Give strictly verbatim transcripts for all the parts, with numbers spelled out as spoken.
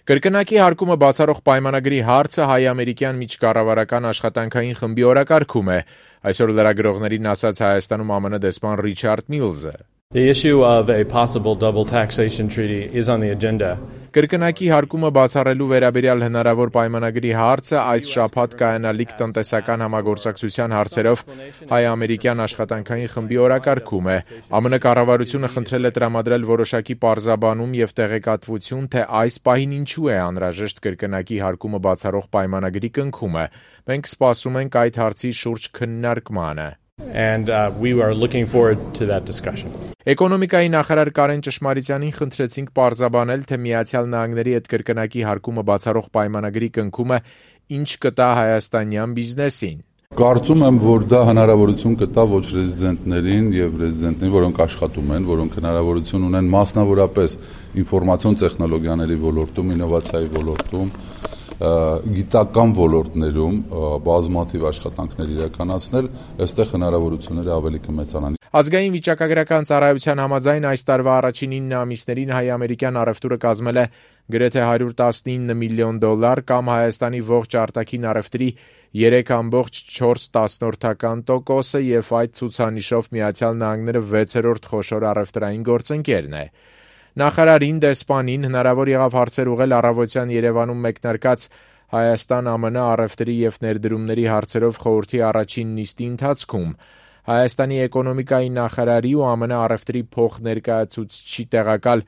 Կրկնակի հարկումը բացառող պայմանագրի հարցը հայ-ամերիկյան միջկառավարական աշխատանքային խմբի օրակարգում է, այսօր լրագրողներին ասաց Հայաստանում ԱՄՆ դեսպան Ռիչարդ Միլզը. The issue of a possible double taxation treaty is on the agenda. Կրկնակի հարկումը բացառելու վերաբերյալ հնարավոր պայմանագրի հարցը այս շաբաթ կայանալիք տնտեսական համագործակցության հարցերով հայ-ամերիկյան աշխատանքային խմբի օրակարգում է։ ԱՄՆ կառավարությունը խնդրել է տրամադրել որոշակի պարզաբանում եւ տեղեկատվություն, թե այս պահին ինչու է անհրաժեշտ կրկնակի հարկումը բացառող պայմանագրի կնքումը։ Մենք սպասում ենք այդ հարցի շուրջ քննարկմանը։ And uh, we are looking forward to that discussion. Էկոնոմիկայի նախարար Կարեն Ճշմարիտյանին խնդրեցինք պարզաբանել, թե Միացյալ Նահանգների հետ կրկնակի հարկումը բացառող պայմանագրի կնքումը ինչ կտա հայաստանյան բիզնեսին։ Կարծում եմ, որ դա հնարավորություն կտա ոչ ռեզիդենտներին եւ ռեզիդենտներին, որոնք աշխատում են, որոնք հնարավորություն ունեն մասնավորապես ինֆորմացիոն տեխնոլոգիաների ոլորտում, ինովացիայի ոլորտում, գիտական ոլորտներում բազմաթիվ աշխատանքներ իրականացնել, այստեղ հնարավորությունները ավելի կմեծանան։ Ազգային վիճակագրական ծառայության համաձայն այս տարվա առաջին ինը ամիսներին հայ-ամերիկյան առևտուրը կազմել է գրեթե հարյուր տասնինը միլիոն դոլար կամ Հայաստանի ողջ արտաքին առևտրի երեք կόμma չորս տոկոսը եւ այդ ցուցանիշով Միացյալ Նահանգները վեցերորդ խոշոր առևտրային գործընկերն է։ Նախարարին դեսպանին հնարավոր եղավ հարցեր ուղղել առավոտյան Երևանում մեկնարկած Հայաստան-ԱՄՆ առևտրի եւ ներդրումների հարցերով խորհրդի առաջին նիստի ընթացքում։ Հայաստանի էկոնոմիկայի նախարարի ու ԱՄՆ առևտրի փոխներկայացուցչի տեղակալ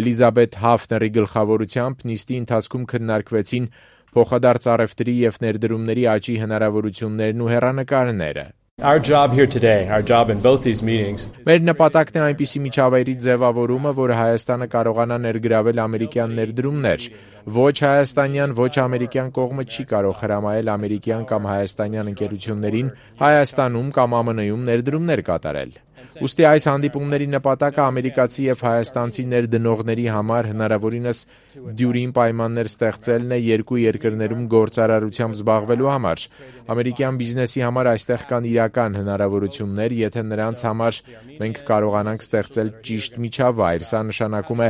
Էլիզաբեթ Հաֆների գլխավորությամբ նիստի ընթացքում քննարկվեցին փոխադարձ առևտրի եւ ներդրումների աճի հնարավորություններն ու հեռանկարները։ Our job here today, our job in both these meetings. Մեր նպատակն է այնպիսի միջավայրի ձևավորումը, որ Հայաստանը կարողանա ներգրավել ամերիկյան ներդրումներ։ Ոչ հայաստանյան, ոչ ամերիկյան կողմը չի կարող հրամայել ամերիկյան կամ հայաստանյան ընկերություններին Հայաստանում կամ ԱՄՆ-ում ներդրումներ կատարել։ Ուստի այս հանդիպումների նպատակը ամերիկացի եւ հայաստանցի ներդնողների համար հնարավորինս դյուրին պայմաններ ստեղծելն է երկու երկրներում գործարարությամբ զբաղվելու համար։ Ամերիկյան բիզնեսի համար այստեղ կան իրական հնարավորություններ, եթե նրանց համար մենք կարողանանք ստեղծել ճիշտ միջավայր։ Սա նշանակում է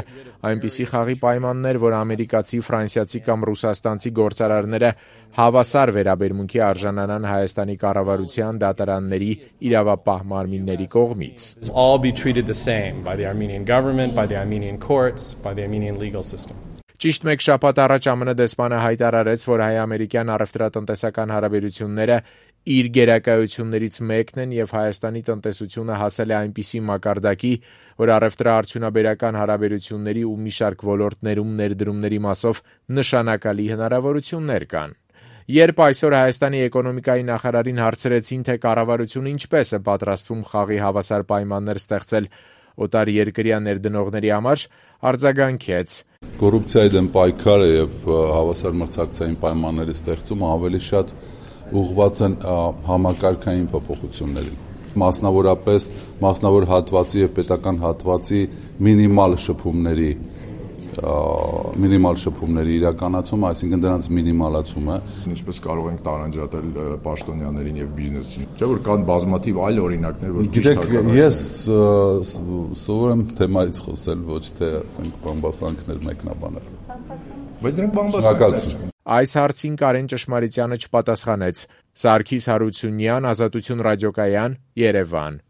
այնպիսի խաղի պայմաններ, որ ամերիկացի, ֆրանսիացի կամ ռուսաստանցի գործարարները հավասար վերաբերմունքի արժանանան Հայաստանի կառավարության, դատարանների, իրավապահ մարմինների կողմից։ All be treated the same by the Armenian government, by the Armenian courts, by the Armenian legal system. Ճիշտ մեկ շաբաթ առաջ ԱՄՆ դեսպանը հայտարարեց, որ հայ-ամերիկյան առևտրատնտեսական հարաբերությունները իր գերակայություններից մեկն են եւ Հայաստանի տնտեսությունը հասել է այնպիսի մակարդակի, որ առևտրաարդյունաբերական հարաբերությունների ու մի շարք ոլորտներում ներդրումների մասով նշանակալի հնարավորություններ կան։ Երբ այսօր Հայաստանի էկոնոմիկայի նախարարին հարցրեցին, թե կառավարությունը ինչպես է պատրաստվում խաղի հավասար պայմաններ ստեղծել օտար երկրյա ներդնողների համար, արձագանքեց. Կոռուպցիայի դեմ պայքարը եւ հավասար մրցակցային պայմանների ստեղծումը ավելի շատ ուղղված են համակարգային փոփոխություններին, մասնավորապես մասնավոր հատվածի եւ պետական հատվածի մինիմալ շփումների մինիմալ շփումների իրականացումը, այսինքն դրանց մինիմալացումը։ Ինչպես կարող ենք տարանջատել պաշտոնյաներին եւ բիզնեսին։ Չէ՞ որ կան բազմաթիվ այլ օրինակներ, որ Գիտեք, ես սովոր եմ թեմայից խոսել, ոչ թե ասենք բամբասանքներ մեկնաբանել։ Բայց դրանք բամբասանքներ են։ Այս հարցին Կարեն Ճշմարիտյանը չպատասխանեց։ Սարգիս Հարությունյան, Ազատություն ռադիոկայան, Երևան։